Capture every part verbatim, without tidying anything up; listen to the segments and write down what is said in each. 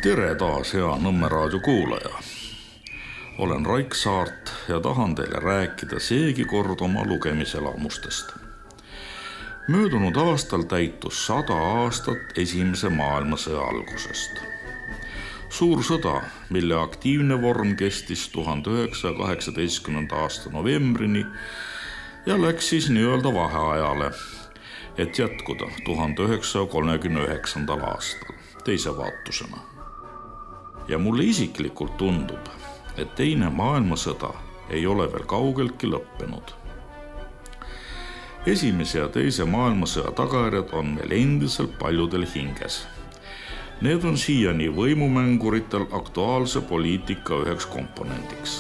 Tere taas, hea Nõmme raadio kuulaja. Olen Raik Saart ja tahan teile rääkida seegi kord oma lugemiselamustest. Möödunud aastal täitus sada aastat esimese maailmasõja algusest. Suur sõda, mille aktiivne vorm kestis tuhande üheksasaja kaheksateistkümnenda aasta novembrini ja läks siis nii-öelda vaheajale, et jätkuda tuhande üheksasaja kolmekümne üheksandal aastal teise vaatusena. Ja mulle isiklikult tundub, et teine maailmasõda ei ole veel kaugeltki lõppenud. Esimese ja teise maailmasõja tagajärjed on meil endiselt paljudel hinges. Need on siiani võimumänguritel aktuaalse poliitika üheks komponendiks.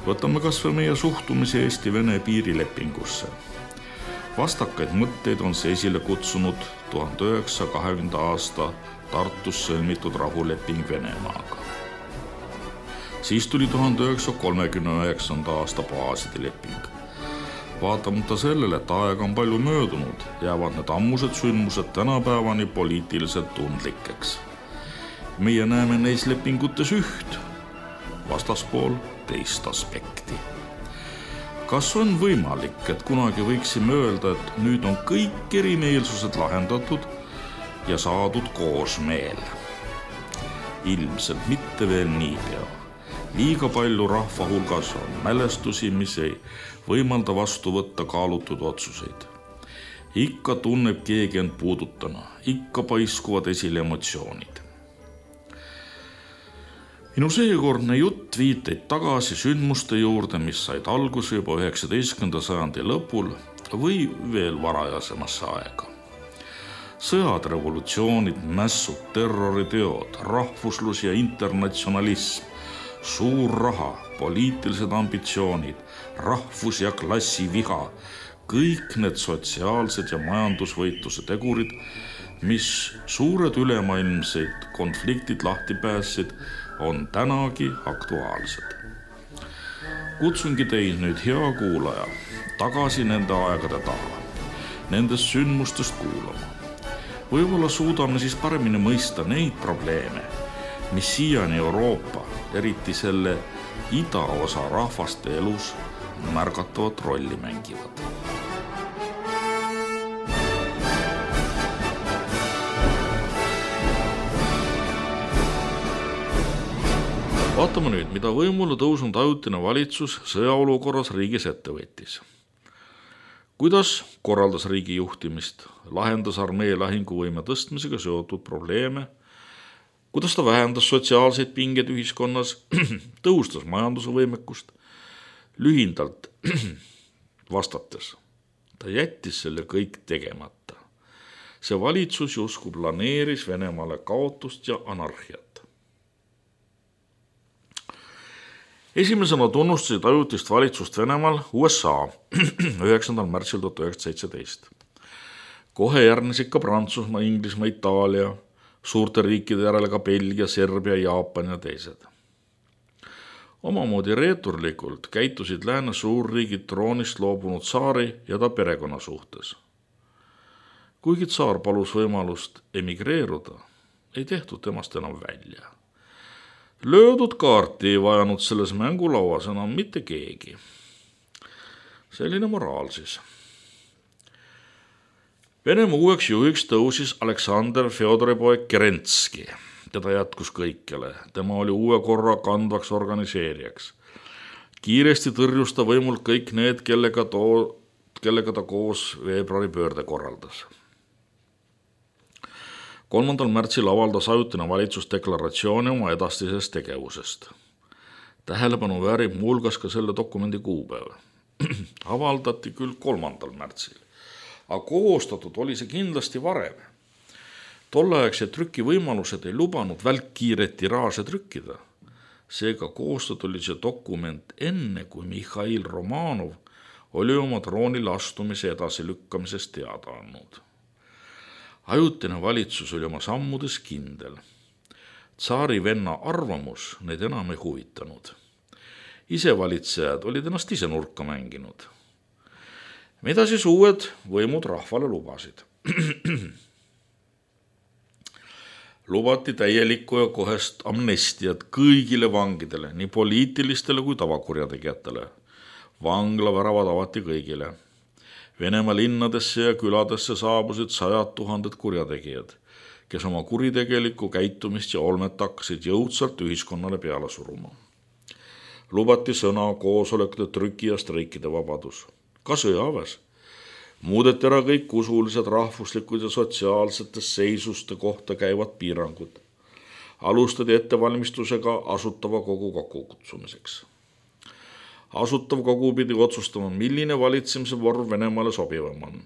Võtame kas või meie suhtumise Eesti-Vene piirilepingusse. Vastakaid mõtteid on see esile kutsunud tuhande üheksasaja kahekümnenda aasta Tartus sõlmitud rahuleping Venemaaga. Siis tuli tuhande üheksasaja kolmekümne üheksanda aasta baaside leping. Vaatamata sellele, et aega on palju möödunud, jäävad need ammused sündmused tänapäevani poliitiliselt tundlikeks. Meie näeme neis lepingutes üht, vastaspool teist aspekti. Kas on võimalik, et kunagi võiksime öelda, et nüüd on kõik erimeelsused lahendatud ja saadud koosmeel? Ilmselt mitte veel niipea. Liiga palju rahva hulgas on mälestusi, mis ei võimalda vastu võtta kaalutud otsuseid. Ikka tunneb keegi end puudutana, ikka paiskuvad esile emotsioonid. Minu seekordne jutt viiteid tagasi sündmuste juurde, mis said alguse juba üheksateistkümnenda sajandi lõpul või veel varajasemasse aega. Sõjad, revolutsioonid, mässud, terroriteod, rahvuslus ja internatsionalism, suur raha, poliitilised ambitsioonid, rahvus- ja klassiviha, kõik need sotsiaalsed ja majandusvõitluse tegurid, mis suured ülemaailmseid konfliktid lahti päässid, on tänagi aktuaalsed. Kutsungi teid nüüd, hea kuulaja, tagasi nende aegade taha, nendest sündmustest kuulama. Võib-olla suudame siis paremini mõista neid probleeme, mis siiani Euroopa, eriti selle idaosa rahvaste elus märgatavat rolli mängivad. Vaatame nüüd, mida võimule tõusnud ajutine valitsus sõjaolukorras riigis ette võttis. Kuidas korraldas riigi juhtimist, lahendas armee lahinguvõime tõstmisega seotud probleeme, kuidas ta vähendas sotsiaalseid pingeid ühiskonnas, tõustas majanduse võimekust, lühindalt vastates. Ta jättis selle kõik tegemata. See valitsus justkui planeeris Venemaale kaotust ja anarhiat. Esimesena tunnustasid ajutist valitsust Venemaal U S A üheksandal märtsil tuhat üheksasada seitseteist. Kohe järgnesid ka Prantsusmaa, Inglismaa, Itaalia, suurte riikide järele ka Belgia, Serbia, Jaapan ja teised. Omamoodi reeturlikult käitusid lääne suurriigid troonist loobunud tsaari ja ta perekonna suhtes. Kuigi tsaar palus võimalust emigreeruda, ei tehtud temast enam välja. Löödud kaarti ei vajanud selles mängulauas enam mitte keegi. Selline moraal siis. Venemaa uueks juhiks tõusis Aleksander Fjodoripoeg Kerentski. Teda jätkus kõikjale. Tema oli uue korra kandvaks organiseerijaks. Kiiresti tõrjus ta võimult kõik need, kellega, too, kellega ta koos veebruari pöörde korraldas. kolmandal märtsil avaldas ajutine valitsus deklaratsiooni oma edastisest tegevusest. Tähelepanu väärib muuhulgas ka selle dokumendi kuupäev. Avaldati küll kolmandal märtsil, aga koostatud oli see kindlasti varem. Tolleaegsed trükivõimalused ei lubanud välkkiiret tiraaže trükkida. Seega koostatud oli see dokument enne, kui Mihhail Romanov oli oma troonile astumise edasi lükkamisest teada andnud. Ajutine valitsus oli oma sammudes kindel. Tsaari venna arvamus neid enam ei huvitanud. Isevalitsejad olid ennast ise nurka mänginud. Mida siis uued võimud rahvale lubasid? Lubati täielikku ja kohest amnestiat kõigile vangidele, nii poliitilistele kui tavakurjategijatele. Vanglaväravad avati kõigile. Venemaa linnadesse ja küladesse saabusid sajad tuhanded kurjategijad, kes oma kuritegelikku käitumist ja olmet hakkasid jõudsalt ühiskonnale peale suruma. Lubati sõna, koosolekute, trüki ja streikide vabadus. Ka sõjaväes. Muudeti ära kõik usulised, rahvuslikud ja sotsiaalsete seisuste kohta käivad piirangud. Alustati ettevalmistusega asutava kogu kokkukutsumiseks. Asutav kogu pidi otsustama, milline valitsemise vorm Venemaale sobivam on.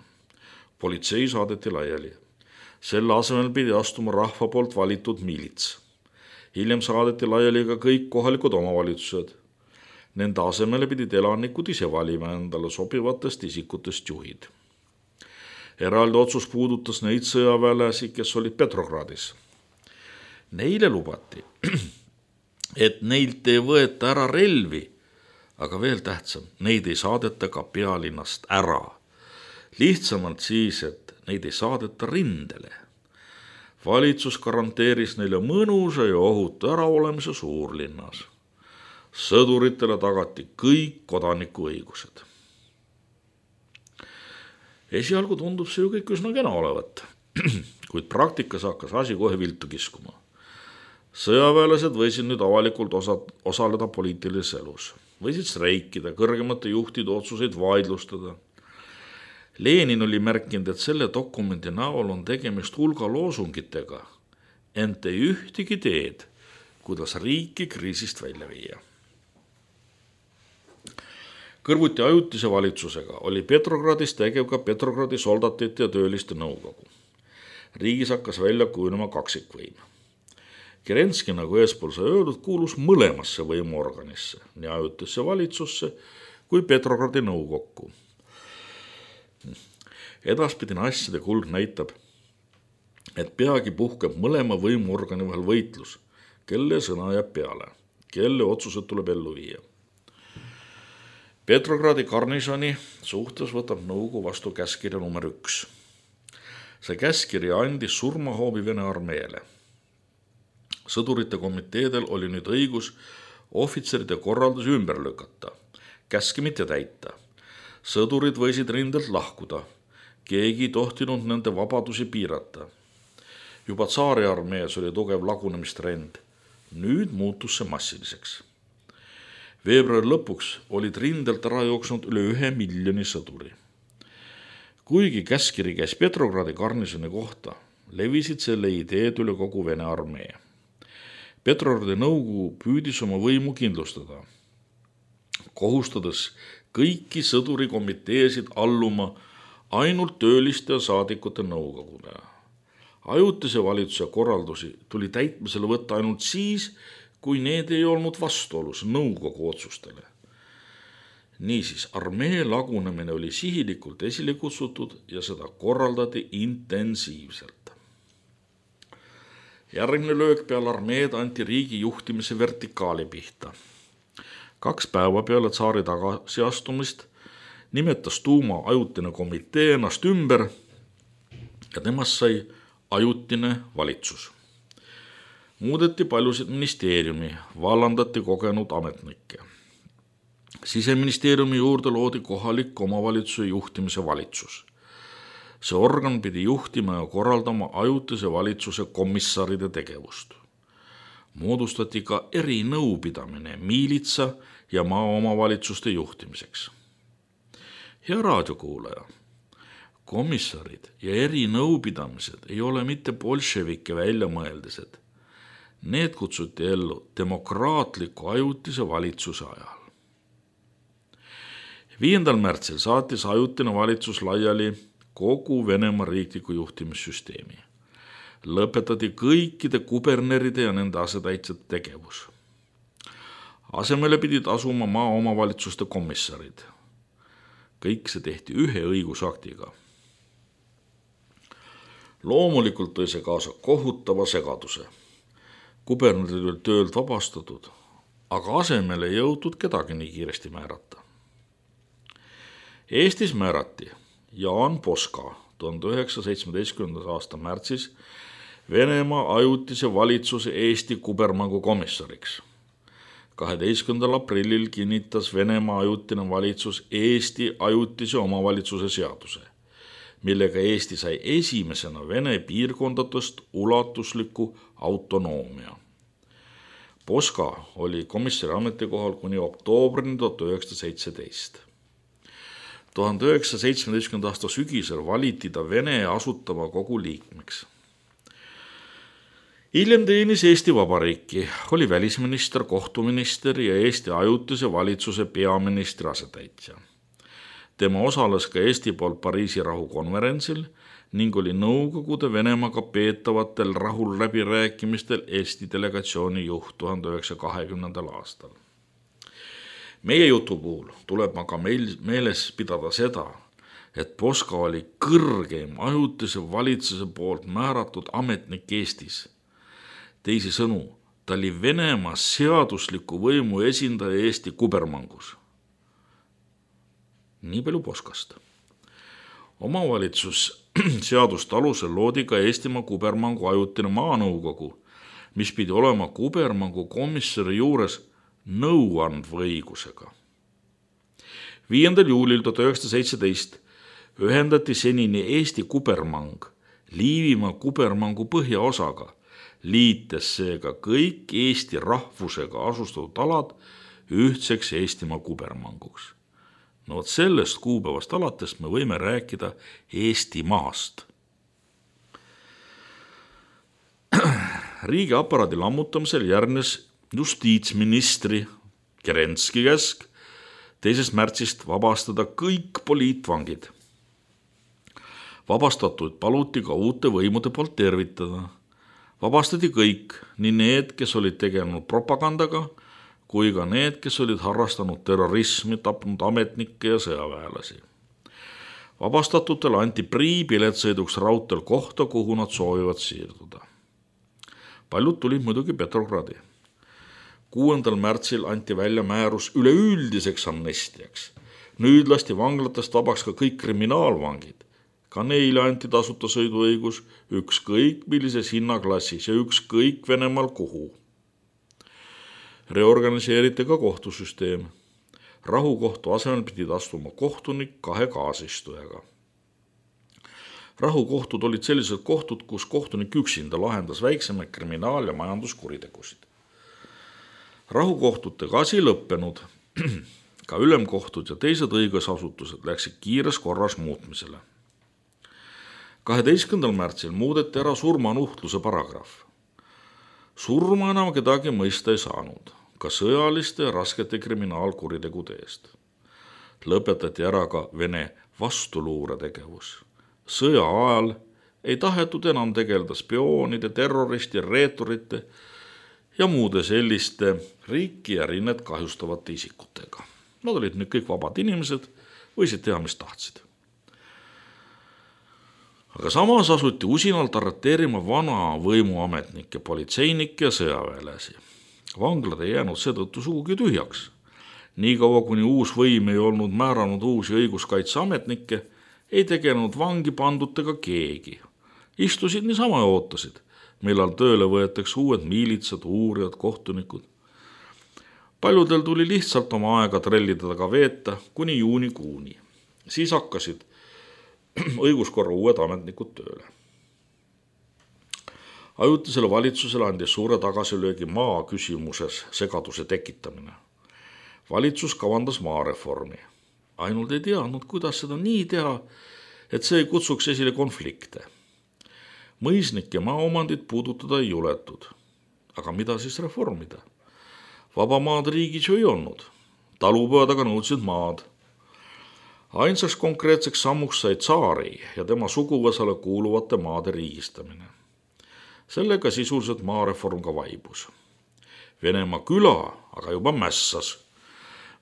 Politsei saadeti laiali. Selle asemel pidi astuma rahva poolt valitud miilits. Hiljem saadeti laiali ka kõik kohalikud omavalitsused. Nende asemele pidid elanikud ise valima endale sobivatest isikutest juhid. Eraldi otsus puudutas neid sõjaväelasi, kes olid Petrogradis. Neile lubati, et neilt ei võeta ära relvi, aga veel tähtsam, neid ei saadeta ka pealinnast ära. Lihtsamalt siis, et neid ei saadeta rindele. Valitsus garanteeris neile mõnusa ja ohutu äraolemise suurlinnas. Sõduritele tagati kõik kodanikuõigused. Esialgu tundub see ju kõik üsna kena olevat, kuid praktikas hakkas asi kohe viltu kiskuma. Sõjaväelased võisid nüüd avalikult osa, osaleda poliitilises elus, võisid streikida, kõrgemate juhtide otsuseid vaidlustada. Lenin oli märkinud, et selle dokumendi näol on tegemist hulga loosungitega, ent ei ühtegi teed, kuidas riiki kriisist välja viia. Kõrvuti ajutise valitsusega oli Petrogradis tegev ka Petrogradi soldatite ja tööliste nõukogu. Riigis hakkas välja kujunema kaksikvõim. Kerenski, nagu eespool sai öeldud, kuulus mõlemasse võimuorganisse, nii ajutisse valitsusse kui Petrogradi nõukokku. Edaspidine asjade kulg näitab, et peagi puhkeb mõlema võimuorgani vahel võitlus, kelle sõna jääb peale, kelle otsused tuleb ellu viia. Petrogradi garnisoni suhtes võtab nõukogu vastu käskirja number üks. See käskiri andis surmahoobi Vene armeele. Sõdurite komiteedel oli nüüd õigus ohvitseride korraldusi ümber lükata, käske mitte täita. Sõdurid võisid rindelt lahkuda, keegi ei tohtinud nende vabadusi piirata. Juba tsaari armees oli tugev lagunemistrend, nüüd muutus see massiliseks. Veebruari lõpuks olid rindelt ära jooksnud üle ühe miljoni sõduri. Kuigi käskiri käis Petrogradi garnisoni kohta, levisid selle ideed üle kogu Vene armee. Petrogradi nõukogu püüdis oma võimu kindlustada, kohustades kõiki sõdurikomiteesid alluma ainult tööliste ja saadikute nõukogude. Ajutise valitsuse korraldusi tuli täitmisele võtta ainult siis, kui need ei olnud vastuolus nõukogu otsustele. Niisiis, armee lagunemine oli sihilikult esile kutsutud ja seda korraldati intensiivselt. Järgmine löök peale armeed anti riigi juhtimise vertikaali pihta. Kaks päeva peale tsaari tagasiastumist nimetas Duuma ajutine komitee ennast ümber ja temast sai ajutine valitsus. Muudeti paljusid ministeeriumi, vallandati kogenud ametnikke. Siseministeeriumi juurde loodi kohalik omavalitsuse juhtimise valitsus. See organ pidi juhtima ja korraldama ajutise valitsuse komissaride tegevust. Moodustati ka erinõupidamine miilitsa ja maaomavalitsuste juhtimiseks. Hea raadiokuulaja, komissarid ja erinõupidamised ei ole mitte bolševike väljamõeldised. Need kutsuti ellu demokraatliku ajutise valitsuse ajal. viiendal märtsil saatis ajutine valitsus laiali kogu Venemaa riikliku juhtimissüsteemi. Lõpetati kõikide kuberneride ja nende asetäitsjate tegevus. Asemele pidid asuma maaomavalitsuste komissarid. Kõik see tehti ühe õigusaktiga. Loomulikult tõi see kaasa kohutava segaduse. Kubernerid oli töölt vabastatud, aga asemele ei jõutud kedagi nii kiiresti määrata. Eestis määrati Jaan Poska tuhande üheksasaja seitsmeteistkümnenda aasta märtsis Venemaa ajutise valitsuse Eesti kubermangu komissariks. kaheteistkümnendal aprillil kinnitas Venemaa ajutine valitsus Eesti ajutise omavalitsuse seaduse, millega Eesti sai esimesena Vene piirkondadest ulatusliku autonoomia. Poska oli komissari ametikohal kuni oktoobrini tuhat üheksasada seitseteist. tuhande üheksasaja seitsmeteistkümnenda aasta sügisel valiti ta Vene asutava kogu liikmeks. Hiljem teenis Eesti Vabariiki, oli välisminister, kohtuminister ja Eesti ajutise valitsuse peaministri asetäitja. Tema osales ka Eesti poolt Pariisi rahukonverentsil ning oli Nõukogude Venemaaga peetavatel rahulläbirääkimistel Eesti delegatsiooni juht tuhande üheksasaja kahekümnendal aastal. Meie jutu puhul tuleb aga meil meeles pidada seda, et Poska oli kõrgeim ajutise valitsuse poolt määratud ametnik Eestis. Teisisõnu, ta oli Venemaa seadusliku võimu esindaja Eesti kubermangus. Nii palju Poskast. Omavalitsus seaduste alusel loodi ka Eestimaa kubermangu ajutine maanõukogu, mis pidi olema kubermangu komissari juures nõuandva õigusega. viiendal juulil tuhat üheksasada seitseteist ühendati senini Eesti kubermang Liivimaa kubermangu põhjaosaga, liites seega kõik Eesti rahvusega asustatud alad ühtseks Eestimaa kubermanguks. No vot sellest kuupäevast alates me võime rääkida Eestimaast. Riigiaparaadi lammutamisel järgnes justiitsministri Kerenski käsk teisest märtsist vabastada kõik poliitvangid. Vabastatuid paluti ka uute võimude poolt tervitada. Vabastati kõik, nii need, kes olid tegelenud propagandaga, kui ka need, kes olid harrastanud terrorismi, tapnud ametnikke ja sõjaväelasi. Vabastatutele anti priipilet sõiduks raudteel kohta, kuhu nad soovivad siirduda. Paljud tulid muidugi Petrogradi. kuuendal märtsil anti välja määrus üleüldiseks amnestiaks. Nüüd lasti vanglatest vabaks ka kõik kriminaalvangid. Ka neile anti tasuta sõiduõigus ükskõik millises hinnaklassis ja ükskõik Venemaal kuhu. Reorganiseeriti ka kohtusüsteem. Rahukohtu asemel pidid astuma kohtunik kahe kaasistujaga. Rahukohtud olid sellised kohtud, kus kohtunik üksinda lahendas väiksemaid kriminaal- ja majanduskuritegusid. Rahukohtutega asi lõppenud. Ka ülemkohtud ja teised õigusasutused läksid kiires korras muutmisele. kaheteistkümnendal märtsil muudeti ära surmanuhtluse paragrahv. Surma enam kedagi mõista ei saanud, ka sõjaliste ja raskete kriminaalkuritegude eest. Lõpetati ära ka Vene vastuluuretegevus. Sõja ajal ei tahetud enam tegeleda spioonide, terroristi, reeturite ja muude selliste riiki ja rinnet kahjustavate isikutega. Nad olid nüüd kõik vabad inimesed, võisid teha, mis tahtsid. Aga samas asuti usinalt arreteerima vana võimuametnikke, politseinikke ja sõjaväelasi. Vanglad ei jäänud seetõttu sugugi tühjaks. Nii kaua, kuni uus võim ei olnud määranud uusi õiguskaitseametnikke, ei tegelenud vangi pandutega keegi. Istusid niisama ja ootasid, millal tööle võetakse uued miilitsad, uurijad, kohtunikud. Paljudel tuli lihtsalt oma aega trellida taga veeta kuni juunikuuni. Siis hakkasid õiguskorra uued ametnikud tööle. Ajutisele valitsusele andis suure tagasilöögi maa küsimuses segaduse tekitamine. Valitsus kavandas maareformi. Ainult ei teadnud, kuidas seda nii teha, et see ei kutsuks esile konflikte. Mõisnike maaomandit puudutada ei juletud. Aga mida siis reformida? Vaba maad riigis ju ei olnud. Talupojad aga nõudsid maad. Ainsaks konkreetseks sammuks sai tsaari ja tema suguvõsale kuuluvate maade riigistamine. Sellega sisuliselt maareform ka vaibus. Venemaa küla aga juba mässas.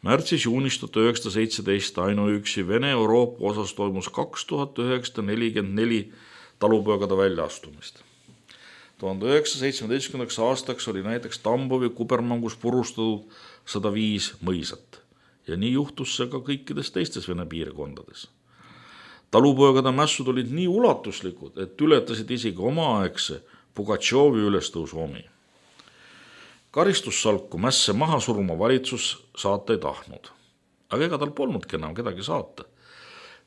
Märtsis-juunis tuhat üheksasada seitseteist ainuüksi Vene Euroopa osas toimus kaks tuhat üheksasada nelikümmend neli talupojagade väljaastumist. tuhande üheksasaja seitsmeteistkümnendaks aastaks oli näiteks Tambovi kubermangus purustatud sada viis mõisat. Ja nii juhtus see ka kõikides teistes Vene piirkondades. Talupojagade mässud olid nii ulatuslikud, et ületasid isegi omaaegse Pugatšovi ülestõusu omi. Karistussalku mässe maha suruma valitsus saata ei tahtnud. Aga ega tal polnudki enam kedagi saata.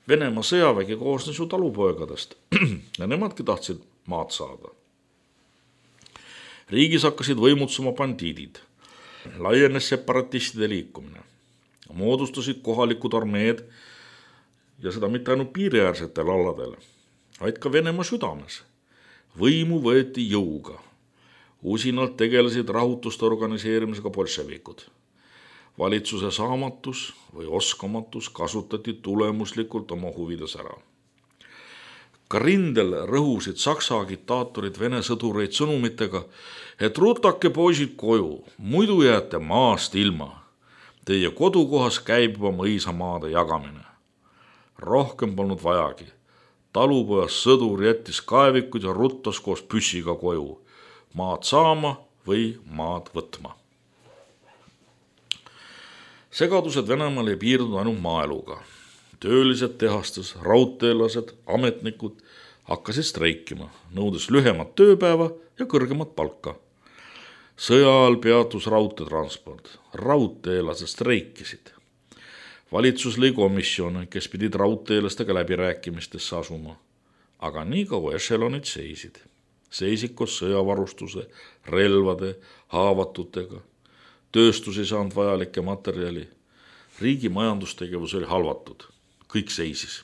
Venemaa sõjavägi koosnes ju talupoegadest ja nemadki tahtsid maad saada. Riigis hakkasid võimutsuma bandiidid. Laienes separatistide liikumine. Moodustasid kohalikud armeed ja seda mitte ainult piiriäärsetel aladel, vaid ka Venemaa südames. Võimu võeti jõuga. Usinalt tegelesid rahutuste organiseerimisega bolševikud. Valitsuse saamatus või oskamatus kasutati tulemuslikult oma huvides ära. Ka rindel rõhusid saksa agitaatorid vene sõdureid sõnumitega, et rutake poisid koju, muidu jääte maast ilma. Teie kodukohas käib juba mõisamaade jagamine. Rohkem polnud vajagi. Talupojas sõdur jättis kaevikud ja ruttas koos püssiga koju. Maad saama või maad võtma. Segadused Venemaal ei piirdunud ainult maaeluga. Töölised tehastes, raudteelased, ametnikud hakkasid streikima, nõudes lühemat tööpäeva ja kõrgemat palka. Sõja ajal peatus raudteetransport, raudteelased streikisid. Valitsus lõi komisjone, kes pidid raudteelastega läbirääkimistesse asuma, aga nii kaua ešelonid seisid. Seisid koos sõjavarustuse, relvade, haavatutega. Tööstus ei saanud vajalikke materjali. Riigi majandustegevus oli halvatud. Kõik seisis.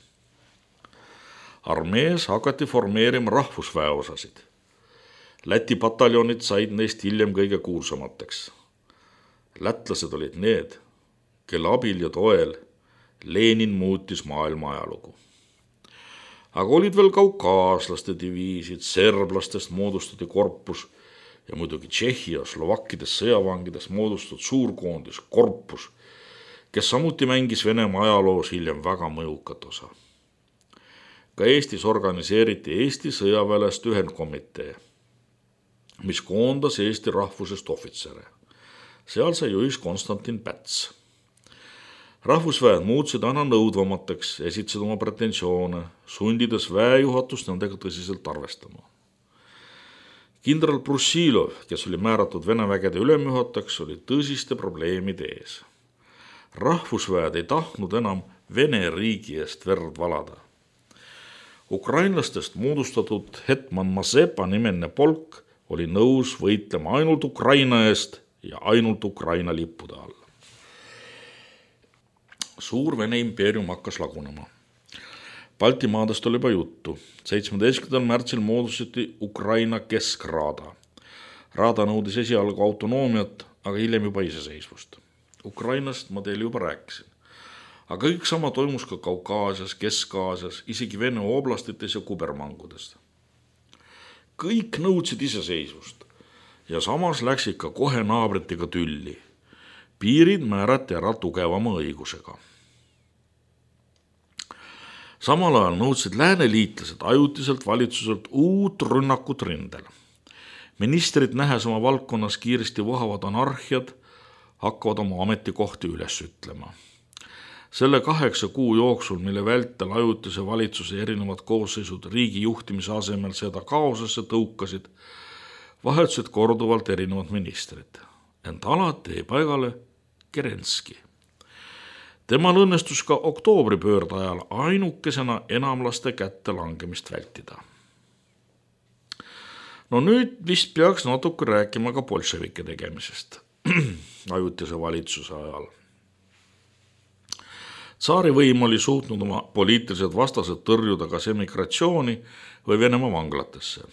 Armees hakati formeerima rahvusväeosasid. Läti pataljonid said neist hiljem kõige kuulsamateks. Lätlased olid need, kelle abil ja toel Lenin muutis maailma ajalugu. Aga olid veel kaukaaslaste diviisid, serblastest moodustati korpus ja muidugi Tšehhi ja Slovakkidest sõjavangides moodustatud suurkoondis, korpus, kes samuti mängis Venemaa ajaloos hiljem väga mõjukat osa. Ka Eestis organiseeriti Eesti sõjaväelast ühendkomitee, mis koondas Eesti rahvusest ohvitsere. Seal sai juhis Konstantin Päts. Rahvusväed muutsid aina nõudvamateks, esitasid oma pretensioone, sundides väejuhatust nendega tõsiselt arvestama. Kindral Brussilov, kes oli määratud Vene vägede ülemjuhatajaks, oli tõsiste probleemide ees. Rahvusväed ei tahtnud enam Vene riigi eest verd valada. Ukrainlastest moodustatud hetman Mazepa nimeline polk oli nõus võitlema ainult Ukraina eest ja ainult Ukraina lippude all. Suur Vene impeerium hakkas lagunema. Baltimaadest oli juba juttu. seitsmeteistkümnendal märtsil moodustati Ukraina keskraada. Raada nõudis esialgu autonoomiat, aga hiljem juba iseseisvust. Ukrainast ma teile juba rääkisin. Aga kõik sama toimus ka Kaukaasias, Kesk-Aasias, isegi Vene oblastites ja kubermangudest. Kõik nõudsid iseseisvust ja samas läksid ka kohe naabritega tülli. Piirid määrati ära tugevama õigusega. Samal ajal nõudsid lääneliitlased ajutiselt valitsuselt uut rünnakut rindel. Ministrid nähes oma valdkonnas kiiresti vohavad anarhiad, hakkavad oma ametikohti üles ütlema. Selle kaheksa kuu jooksul, mille vältel ajutise valitsuse erinevad koosseisud riigi juhtimise asemel seda kaosesse tõukasid, vahetusid korduvalt erinevad ministrid. Ent alati ei paigale Kerenski. Temal õnnestus ka oktoobripöörde ajal ainukesena enamlaste kätte langemist vältida. No nüüd vist peaks natuke rääkima ka bolševike tegemisest ajutise valitsuse ajal. Tsaari võim oli suutnud oma poliitilised vastased tõrjuda kas emigratsiooni või Venemaa vanglatesse.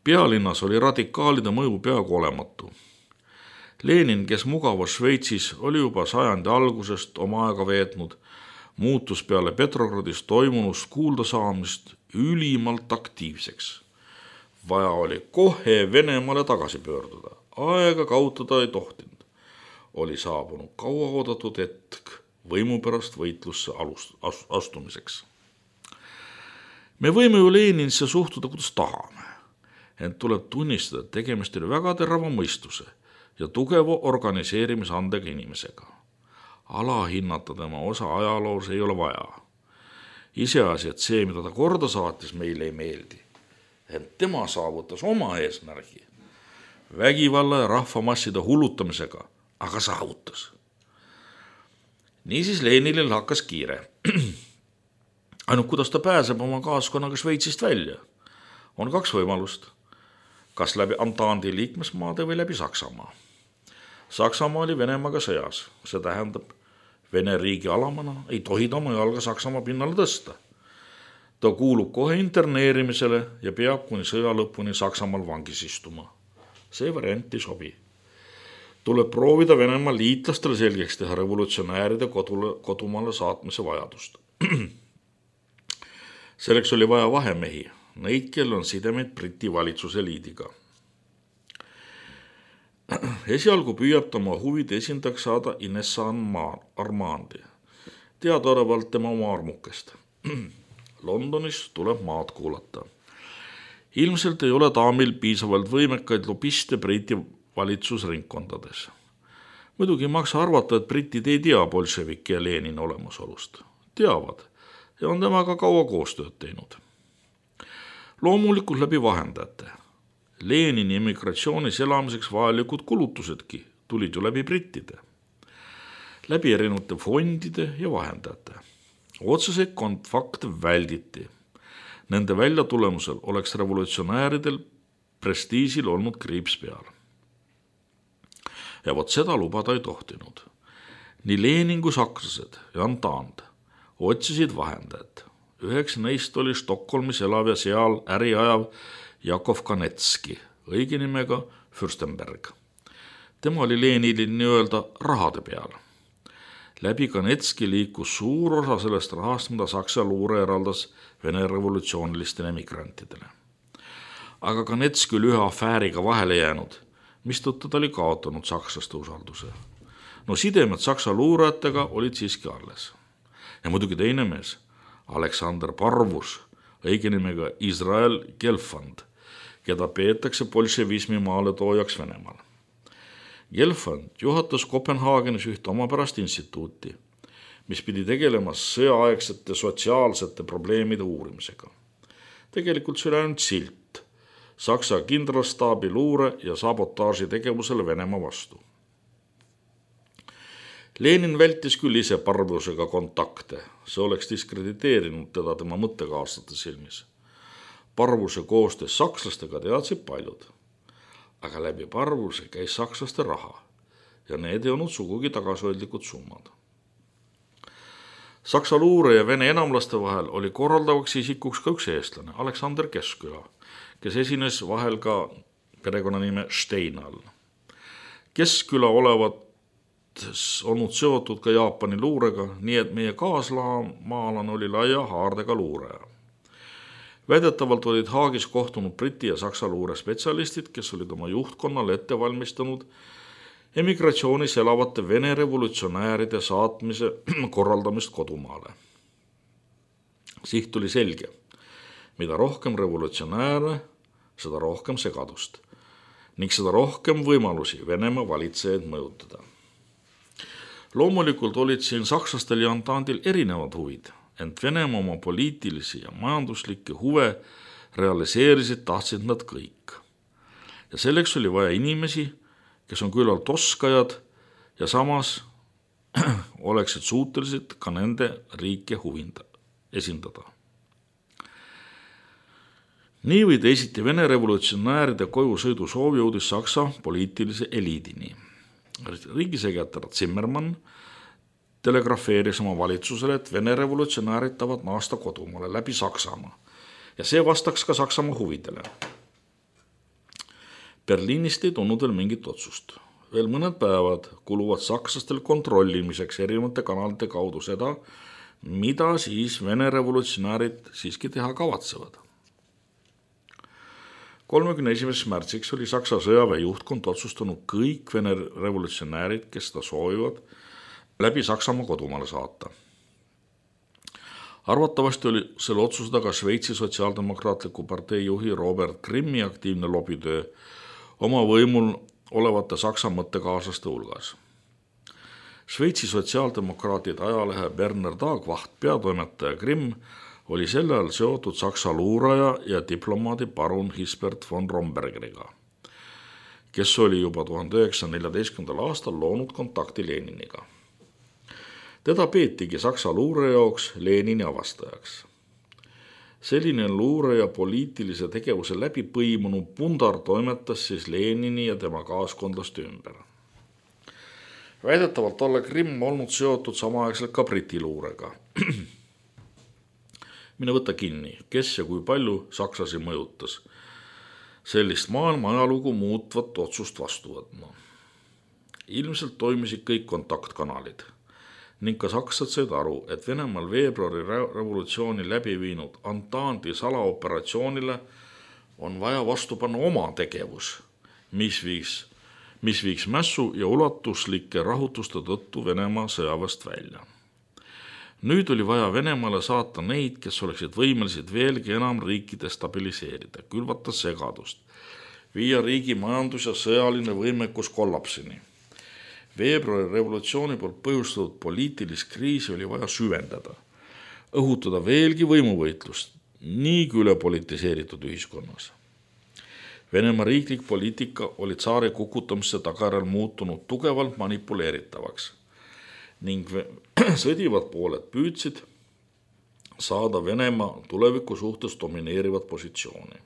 Pealinnas oli radikaalide mõju peaaegu olematu. Lenin, kes mugavas Šveitsis, oli juba sajandi algusest oma aega veetnud, muutus peale Petrogradis toimunust kuulda saamist ülimalt aktiivseks. Vaja oli kohe Venemaale tagasi pöörduda, aega kaotada ei tohtinud. Oli saabunud kauaoodatud hetk võimu pärast võitlusse astumiseks. Me võime ju Leninisse suhtuda, kuidas tahame, ent tuleb tunnistada, et tegemist oli väga terava mõistuse ja tugeva organiseerimisandega inimesega. Alahinnata tema osa ajaloos ei ole vaja. Iseasi, et see, mida ta korda saatis, meile ei meeldi. ent tema saavutas oma eesmärgi vägivalla ja rahvamasside hullutamisega, aga saavutas. Niisiis Leninil hakkas kiire. Ainult kuidas ta pääseb oma kaaskonnaga Šveitsist välja? On kaks võimalust. Kas läbi Ententi liikmesmaade või läbi Saksamaa. Saksamaa oli Venemaaga sõjas. See tähendab, Vene riigi alamana ei tohi ta oma jalga Saksamaa pinnale tõsta. Ta kuulub kohe interneerimisele ja peab kuni sõja lõpuni Saksamaal vangis istuma. See variant ei sobi. Tuleb proovida Venemaa liitlastele selgeks teha revolutsionääride kodule, kodumaale saatmise vajadust. Selleks oli vaja vahemehi, neid, kel on sidemeid Briti valitsuse liidiga. Esialgu püüab ta oma huvide esindajaks saada Ines Armandi, teadaolevalt tema oma armukest. Londonis tuleb maad kuulata. Ilmselt ei ole daamil piisavalt võimekaid lobiste Briti valitsusringkondades. Muidugi maksa arvata, et britid ei tea bolševiki ja Lenini olemasolust. Teavad ja on temaga kaua koostööd teinud. Loomulikult läbi vahendajate. Lenini emigratsioonis elamiseks vajalikud kulutusedki tulid ju läbi brittide. Läbi erinevate fondide ja vahendajate. Otseseid kontakte välditi. Nende välja tulemusel oleks revolutsionääridel prestiisil olnud kriips peal. Ja vot seda lubada ei tohtinud. Nii Lenin kui sakslased ja Entente otsisid vahendajad. Üheks neist oli Stockholmis elav ja seal äri ajav Jakov Kanetski, õige nimega Fürstenberg. Tema oli Leninil nii-öelda rahade peal. Läbi Kanetski liikus suur osa sellest rahast, mida Saksa luure eraldas Vene revolutsioonilistele emigrantidele. Aga Kanetski oli ühe afääriga vahele jäänud, mistõttu ta oli kaotanud sakslaste usalduse. No sidemed Saksa luurajatega olid siiski alles. Ja muidugi teine mees, Aleksander Parvus, õige nimega Israel Gelfand, keda peetakse bolševismi maaletoojaks Venemaal. Gelfand juhatas Kopenhaagenis ühte omapärast instituuti, mis pidi tegelema sõjaaegsete sotsiaalsete probleemide uurimisega. Tegelikult see oli ainult silt Saksa kindralstaabi luure ja sabotaaži tegevusele Venemaa vastu. Lenin vältis küll ise Parvusega kontakte, see oleks diskrediteerinud teda tema mõttekaaslaste silmis. Parvuse koostöös sakslastega teadsid paljud, aga läbi Parvuse käis sakslaste raha ja need ei olnud sugugi tagasihoidlikud summad. Saksa luure ja Vene enamlaste vahel oli korraldavaks isikuks ka üks eestlane, Aleksander Keskküla, kes esines vahel ka perekonnanime Steinal. Keskküla olevat olnud seotud ka Jaapani luurega, nii et meie kaaslamaалane oli laia haardega luureja. Väidetavalt olid Haagis kohtunud Briti ja Saksa luure spetsialistid, kes olid oma juhtkonnale ette valmistanud emigratsioonis elavate Vene revolutsionääride saatmise korraldamist kodumaale. Siht oli selge. Mida rohkem revolutsionääre, seda rohkem segadust ning seda rohkem võimalusi Venemaa valitsejaid mõjutada. Loomulikult olid siin sakslastel ja Ententil erinevad huvid, ent Venemaa oma poliitilisi ja majanduslikke huve realiseerisid tahtsid nad kõik. Ja selleks oli vaja inimesi, kes on küllalt oskajad ja samas oleksid suutelised ka nende riike huvinda, esindada. Nii või teisiti Vene revolutsionääride koju sõidu soov jõudis Saksa poliitilise eliidini. Riigisekretär Zimmermann telegrafeeris oma valitsusele, et Vene revolutsionäärid tahavad naasta kodumaale läbi Saksamaa ja see vastaks ka Saksamaa huvidele. Berliinist ei tulnud veel mingit otsust. Veel mõned päevad kuluvad sakslastel kontrollimiseks erinevate kanalite kaudu seda, mida siis Vene revolutsionäärid siiski teha kavatsevad. kolmekümne esimeseks märtsiks oli Saksa sõjaväe juhtkond otsustanud kõik Vene revolutsionäärid, kes seda soovivad, läbi Saksamaa kodumaale saata. Arvatavasti oli selle otsuse taga Šveitsi sotsiaaldemokraatliku partei juhi Robert Grimmi aktiivne lobitöö oma võimul olevate Saksa mõttekaaslaste hulgas. Šveitsi sotsiaaldemokraatide ajalehe Berner Tagwacht peatoimetaja Grimm oli sel ajal seotud Saksa luuraja ja diplomaadi parun Hisbert von Rombergiga, kes oli juba tuhande üheksasaja neljateistkümnendal aastal loonud kontakti Leniniga. Teda peetigi Saksa luure jaoks Lenini avastajaks. Selline luure ja poliitilise tegevuse läbi põimunu pundar toimetas siis Lenini ja tema kaaskondlaste ümber. Väidetavalt olla Grimm olnud seotud samaaegselt ka Briti luurega. Mine võtta kinni, kes ja kui palju sakslasi mõjutas sellist maailma ajalugu muutvat otsust vastu võtma. Ilmselt toimisid kõik kontaktkanalid ning ka sakslased said aru, et Venemaal veebruari revolutsiooni läbi viinud Ententi salaoperatsioonile on vaja vastu panna oma tegevus, mis viiks, mis viiks mässu ja ulatuslike rahutuste tõttu Venemaa sõjaväest välja. Nüüd oli vaja Venemaale saata neid, kes oleksid võimelised veelgi enam riiki destabiliseerida, külvata segadust, viia riigi majandus ja sõjaline võimekus kollapsini. Veebruari revolutsiooni poolt põhjustatud poliitilist kriisi oli vaja süvendada, õhutada veelgi võimuvõitlust niigi üle politiseeritud ühiskonnas. Venemaa riiklik poliitika oli tsaari kukutamisse tagajärjel muutunud tugevalt manipuleeritavaks ning sõdivad pooled püüdsid saada Venemaa tuleviku suhtes domineerivat positsiooni.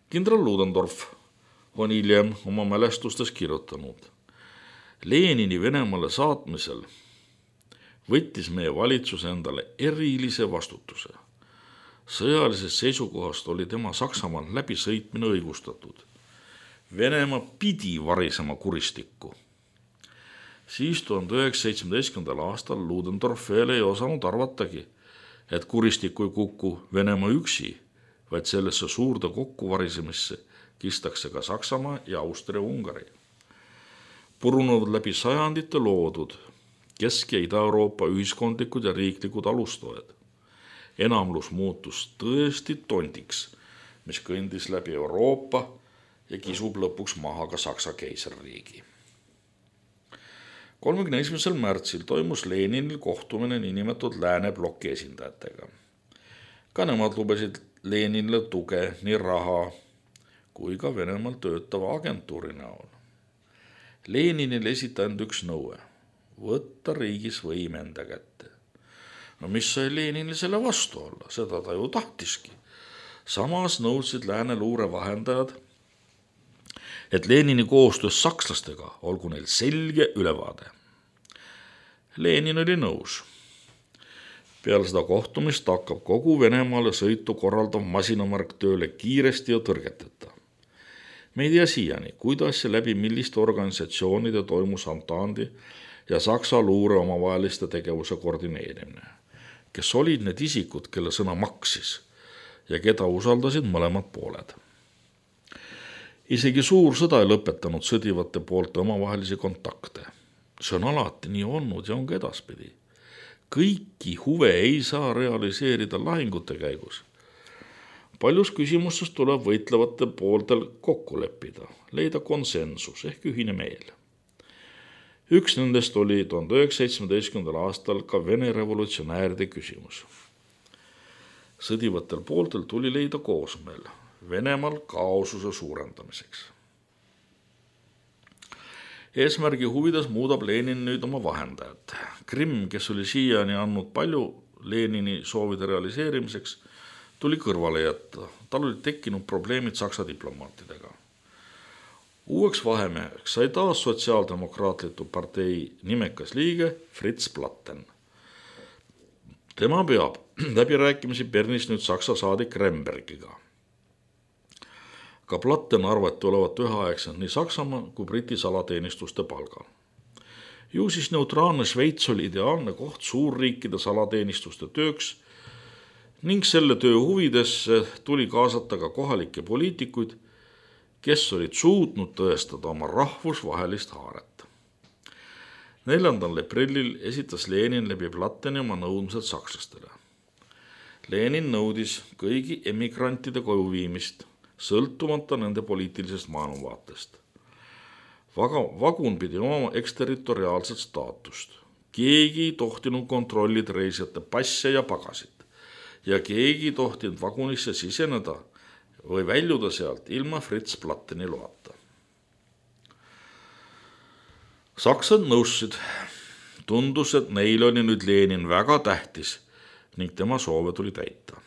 Kindral Ludendorff on hiljem oma mälestustes kirjutanud: Lenini Venemaale saatmisel võttis meie valitsus endale erilise vastutuse. Sõjalisest seisukohast oli tema Saksamaal läbisõitmine õigustatud. Venemaa pidi varisema kuristikku. Siis tuhande üheksasaja seitsmeteistkümnendal aastal Ludendorff veel ei osanud arvatagi, et kuristikku ei kuku Venemaa üksi, vaid sellesse suurde kokkuvarisemisse kistakse ka Saksamaa ja Austria-Ungari. Purunevad läbi sajandite loodud Kesk- ja Ida-Euroopa ühiskondlikud ja riiklikud alustoed. Enamlus muutus tõesti tondiks, mis kõndis läbi Euroopa ja kisub lõpuks maha ka Saksa keisririigi. kolmekümne esimesel märtsil toimus Leninil kohtumine niinimetatud lääne bloki esindajatega. Ka nemad lubasid Leninile tuge nii raha kui ka Venemaal töötava agentuuri näol. Leninil esitanud üks nõue, võtta riigis võim enda kätte. No mis sai Leninil selle vastu olla, seda ta ju tahtiski. Samas nõudsid lääne luure vahendajad, et Lenini koostöös sakslastega olgu neil selge ülevaade. Lenin oli nõus. Peale seda kohtumist hakkab kogu Venemaale sõitu korraldav masinamärk tööle kiiresti ja tõrgeteta. Me ei tea siiani, kuidas ja läbi milliste organisatsioonide toimus Ententi ja Saksa luure omavaheliste tegevuse koordineerimine, kes olid need isikud, kelle sõna maksis ja keda usaldasid mõlemad pooled. Isegi suur sõda ei lõpetanud sõdivate poolte omavahelisi kontakte. See on alati nii olnud ja on ka edaspidi. Kõiki huve ei saa realiseerida lahingute käigus. Paljus küsimustes tuleb võitlevate pooltel kokku leppida, leida konsensus ehk ühine meel. Üks nendest oli tuhande üheksasaja seitsmeteistkümnendal aastal ka Vene revolutsionääride küsimus. Sõdivatel pooltel tuli leida koosmeel Venemaal kaosuse suurendamiseks. Eesmärgi huvides muudab Lenin nüüd oma vahendajad. Grimm, kes oli siiani andnud palju Lenini soovide realiseerimiseks, tuli kõrvale jätta. Tal oli tekkinud probleemid Saksa diplomaatidega. Uueks vahemeheks sai taas sotsiaaldemokraatliku partei nimekas liige Fritz Platten. Tema peab läbirääkimisi Bernis nüüd Saksa saadik Rembergiga. Ka Platten arvati olevat üheaegselt nii Saksamaa kui Briti salateenistuste palgal. Ju siis neutraalne Šveits oli ideaalne koht suurriikide salateenistuste tööks ning selle töö huvidesse tuli kaasata ka kohalikke poliitikuid, kes olid suutnud tõestada oma rahvusvahelist haaret. neljandal aprillil esitas Lenin läbi Platteni oma nõudmised sakslastele. Lenin nõudis kõigi emigrantide koju viimist, sõltumata nende poliitilisest maailmavaatest. Vagun pidi oma eksterritoriaalset staatust. Keegi ei tohtinud kontrollida reisijate passe ja pagasid. ja keegi tohtinud vagunisse siseneda või väljuda sealt ilma Fritz Platteni loata. Saksad nõussid. Tundus, et neil oli nüüd Lenin väga tähtis ning tema soove tuli täita.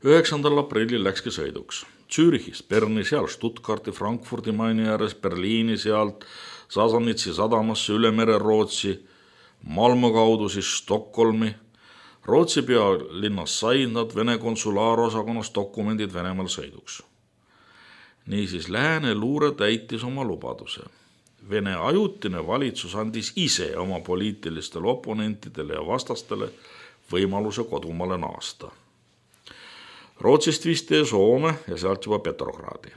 üheksandal aprillil läkski sõiduks. Zürichis, Berni, seal Stuttgarti, Frankfurdi Maini ääres, Berliini sealt, Sasanitsi sadamasse üle mere Rootsi, Malmö kaudu siis Stockholmi. Rootsi pealinnas said nad Vene konsulaarosakonnas dokumendid Venemaal sõiduks. Niisiis lääne luure täitis oma lubaduse. Vene ajutine valitsus andis ise oma poliitilistele oponentidele ja vastastele võimaluse kodumaale naasta. Rootsist visti Soome ja sealt juba Petrogradi.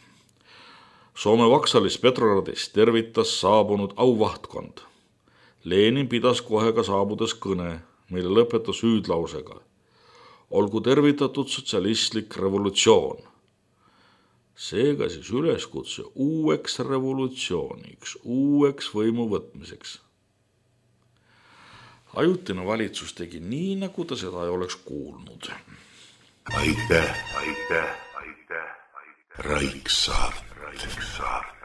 Soome vaksalis Petrogradis tervitas saabunud auvahtkond. Lenin pidas kohe ka saabudes kõne, mille lõpetas hüüdlausega. Olgu tervitatud sotsialistlik revolutsioon. Seega siis üleskutse uueks revolutsiooniks, uueks võimu võtmiseks. Ajutine valitsus tegi nii, nagu ta seda ei oleks kuulnud. Aitäh, aitäh, aitäh, aitäh. Raiksaart, Raiksaart.